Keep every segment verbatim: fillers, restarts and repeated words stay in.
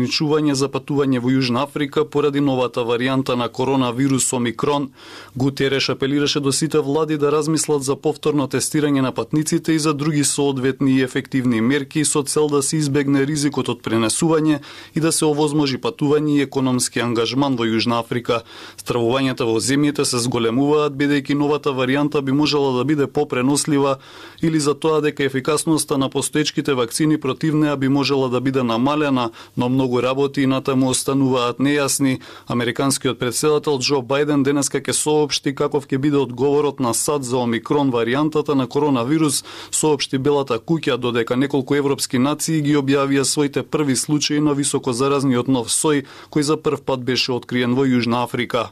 ограничување за патување во Јужна Африка поради новата варијанта на коронавирус Омикрон. Гутереш апелираше до сите влади да размислат за повторно тестирање на патниците и за други соодветни и ефективни мерки со цел да се избегне ризикот од пренесување и да се овозможи патување и економски ангажман во Јужна Африка. Стравувањата во земјите се зголемуваат бидејќи новата варијанта би можела да биде попренослива или за тоа дека ефикасноста на постоечките вакцини против неа би можела да биде намалена, но многу работи и натаму остануваат нејасни. Американскиот претседател Џо Бајден денеска ќе соопшти каков ќе биде одговорот на САД за Омикрон варијантата на коронавирус, соопшти Белата куќа, додека неколку европски нации ги објавија своите први случаи на високозаразниот нов сој, кој за прв пат беше откриен во Јужна Африка.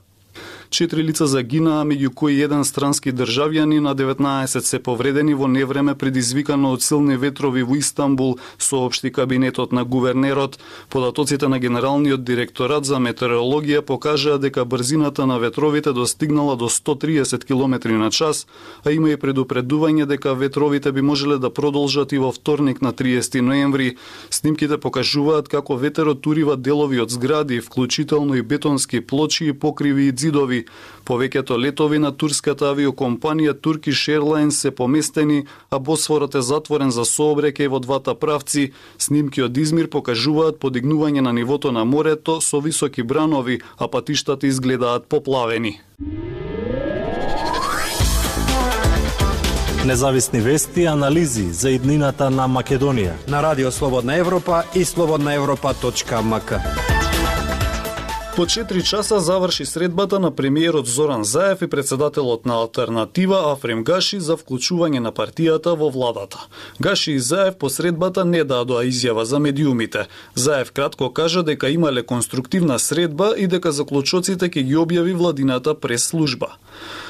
Четири лица загинаа, меѓу кои еден странски државјанин, а деветнаесет се повредени во невреме предизвикано од силни ветрови во Истанбул, соопшти кабинетот на гувернерот. Податоците на Генералниот директорат за метеорологија покажаа дека брзината на ветровите достигнала до сто триесет километри на час, а има и предупредување дека ветровите би можеле да продолжат и во вторник на триесети ноември. Снимките покажуваат како ветерот турива делови од згради, вклучително и бетонски плочи и покриви и ѕидови. Повеќето летови на турската авиокомпанија Turkish Airlines се поместени, а Босфорот е затворен за сообраќај во двата правци. Снимки од Измир покажуваат подигнување на нивото на морето со високи бранови, а патиштата изгледаат поплавени. Независни вести и анализи за иднината на Македонија на Радио Слободна Европа и слободна европа точка ем ка. По четири часа заврши средбата на премиерот Зоран Заев и председателот на Алтернатива Афрем Гаши за вклучување на партијата во владата. Гаши и Заев по средбата не дадоа изјава за медиумите. Заев кратко кажа дека имале конструктивна средба и дека заклучоците ќе ги објави владината прес-служба.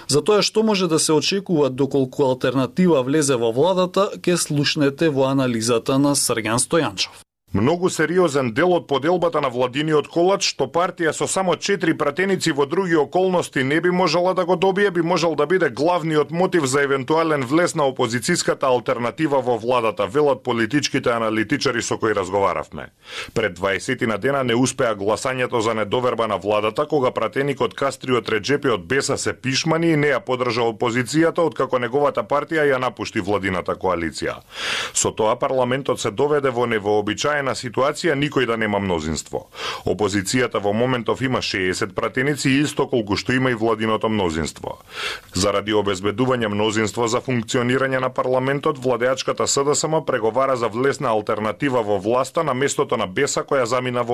За тоа што може да се очекува доколку Алтернатива влезе во владата, ќе слушнете во анализата на Срѓан Стојанчов. Многу сериозен дел од поделбата на владиниот колач, што партија со само четири пратеници во други околности не би можела да го добие, би можел да биде главниот мотив за евентуален влез на опозицијската алтернатива во владата, велат политичките аналитичари со кои разговаравме. Пред дваесет дена не успеа гласањето за недоверба на владата, кога пратеникот Кастриот Реџепи од Беса се пишмани и не ја подржа опозицијата, откако неговата партија ја напушти владината коалиција. Со тоа парламентот се доведе во невообичаен на ситуација никој да нема мнозинство. Опозицијата во моментов има шеесет пратеници, исто колку што има и владиното мнозинство. Заради обезбедување мнозинство за функционирање на парламентот, владеачката СДСМ преговара за влез на алтернатива во власта на местото на Беса која замина во